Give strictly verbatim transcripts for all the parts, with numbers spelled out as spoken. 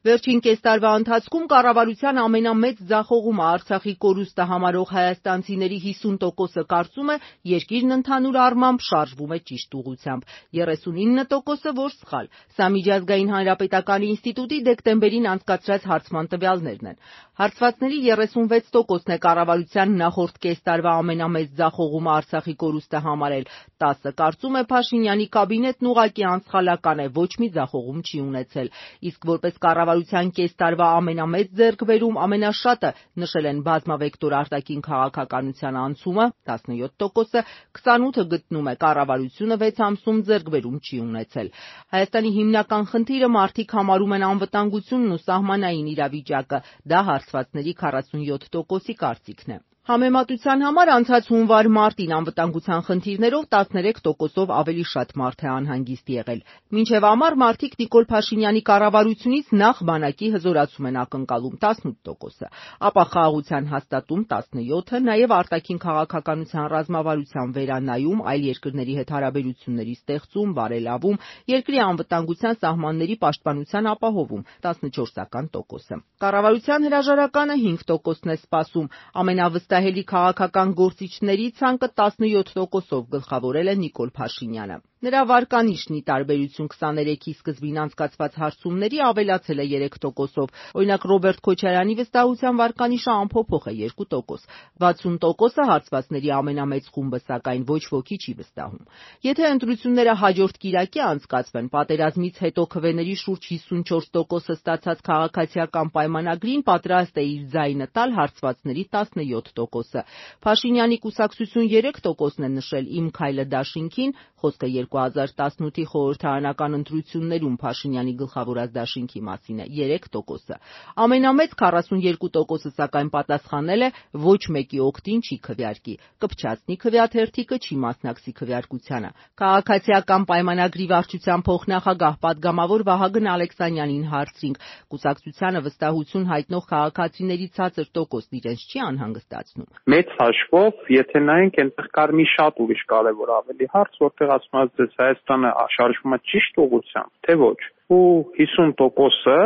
Վերջին կես տարվա ընթացքում կառավարության ամենամեծ ձախողումը Արցախի կորուստը համարող հայաստանցիների հիսուն տոկոսը կարծում է երկիրն ընդհանուր առմամբ շարժվում է ճիշտ ուղղությամբ, երեսունինը տոկոսը, որ սխալ։ Սա Միջազգային հանրապետական ինստիտուտի դեկտեմբերին անցկացրած հարցման տվյալներն են։ Հարցվածների երեսունվեց տոկոսն է կառավարության նախորդ կես տարվա ամենամեծ ձախողումը Արցախի կորուստը համարել, տասը կարծում է Փաշինյանի կաբինետն ուղղակի անսխալական է, ոչ մի ձախողում չի ունեցել, իսկ որպես կառավարության կես տարվա ամենամեծ ձեռքբերում ամենաշատը նշել են բազմավեկտոր արտաքին քաղաքականության անցումը, տասնյոթ տոկոսը, քսանութը գտնում է կառավարությունը վեց ամսում ձեռքբերում չի ունեցել։ Հայաստանի հիմնական խնդիրը մարդիկ համարում են անվտանգությունն ու սահմանային իրավիճակը, դա հարցվածների քառասունյոթ տոկոսի կարծիքն է։ Համեմատության համար անցած հունվար-մարտին անվտանգության խնդիրներով տասներեք տոկոսով ավելի շատ մարդ է անհանգիստ եղել։ Մինչև ամառ մարդիկ Նիկոլ Փաշինյանի կառավարությունից նախ բանակի հզորացում են ակնկալում տասնութ տոկոսը, ապա խաղաղության հաստատում տասնյոթը, նաև արտաքին քաղաքականության ռազմավարության վերանայում, այլ երկրների հետ հարաբերությունների ստեղծում, բարելավում, երկրի անվտանգության սահմանների պաշտպանության ապահովում տասնչորսական տոկոսը։ Կառավարության հրաժարականը հինգ տոկոսն է սպասում, ամենավստահելի քաղաքական գործիչների ցանկը տասնյոթ տոկոսով գլխավորել է Նիկոլ Փաշինյանը։ Նրա վարկանիշն ի տարբերություն քսաներեքի սկզբին անցկացված հարցումների ավելացել է երեք տոկոսով, օրինակ Ռոբերտ Քոչարյանի վստահության վարկանիշը անփոփոխ է երկու տոկոս, վաթսուն տոկոսը հարցվածների ամենամեծ խումբը, սակայն ոչ ոքի չի վստահում։ Եթե ընտրությունները հաջորդ կիրակի անցկացվեն, պատերազմից հետո քվեների շուրջ հիսունչորս տոկոսը ստացած քաղաքացիական պայմանագրին պատրաստ է իր ձայնը տալ հարցվածների տասնյոթ տոկոսը։ Փաշինյանի կուսակցություն երեք տոկոսն է նշել Իմ քայլը դաշինքին, խոսքը երկու հազար տասնութի խորհրդարանական ընտրություններում Փաշինյանի գլխավորած դաշինքի մասին է, երեք տոկոսը։ Ամենամեծ քառասունյոթ տոկոսը սակայն պատասխանել է ոչ մեկի օգտին չի քվեարկի, կփչացնի քվեաթերթիկը չի մասնակցի քվեարկությանը։ Քաղաքացիական պայմանագրի վարչության փոխնախագահ պատգամավոր Վահագն Ալեքսանյանին հարցրինք, կուսակցությանը վստահություն հայտնող քաղաքացիների ցածր տոկոսն իրենց չի անհանգստացնում։ Մեծ հաշվով, եթե նայենք, այնտեղ կար մի շատ ուրիշ կարևոր ավելի հարց, որտեղ ասում եմ, դες Հայաստանը շարժվում է ճիշտ ուղղությամբ, թե ոչ։ Ու հիսուն տոկոսը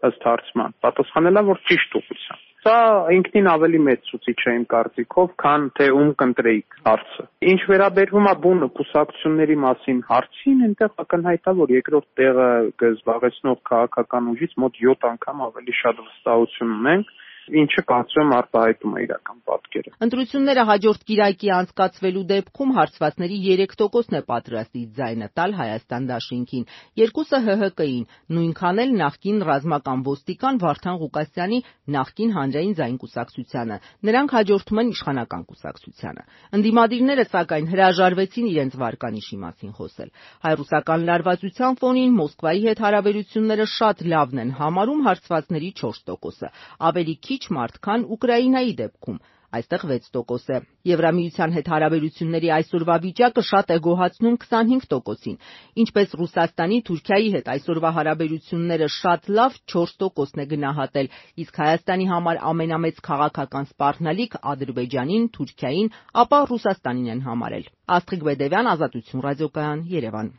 ըստ հարցման պատասխանել է, որ ճիշտ ուղղությամբ։ Սա ինքնին ավելի մեծ ցուցիչ է իմ կարծիքով, քան թե ում կընտրեիք հարցը։ Ինչ վերաբերվում է բուն կուսակցությունների մասին հարցին, այնտեղ ակնհայտ է, որ երկրորդ տեղը զբաղեցնող քաղաքական ուժից մոտ յոթ անգամ ավելի շատ վստահություն ունենք, ինչը կարծում եմ արտահայտում է իրական պատկերը։ Ընտրությունները հաջորդ կիրակի անցկացվելու դեպքում հարցվածների երեք տոկոսն է պատրաստ իր ձայնը տալ Հայաստան դաշինքին, երկուսը Հ Հ Կ-ին, նույնքան էլ նախկին ռազմական ոստիկան Վարդան Ղուկասյանի նախկին հանրային ձայն կուսակցությանը, նրանք հաջորդում են իշխանական կուսակցությանը։ Ընդդիմադիրները սակայն հրաժարվեցին իրենց վարկանիշի մասին խոսել։ Հայրուսական լարվածության ֆոնին Մոսկվայի հետ հարաբերությունները շատ լավն են համարում հարցվածների չորս տոկոսը, ավելի քիչ մարդ, քան Ուկրաինայի դեպքում, այստեղ վեց տոկոս է։ Եվրամիության հետ հարաբերությունների այսօրվա վիճակը շատ է գոհացնում քսանհինգ տոկոսին, ինչպես Ռուսաստանի, Թուրքիայի հետ այսօրվա հարաբերությունները շատ լավ չորս տոկոսն է գնահատել, իսկ Հայաստանի համար ամենամեծ քաղաքական սպառնալիք Ադրբեջանին, Թուրքիային, ապա Ռուսաստանին են համարել։ Աստղիկ Բեդևյան, Ազատություն ռադիոկայան, Երևան։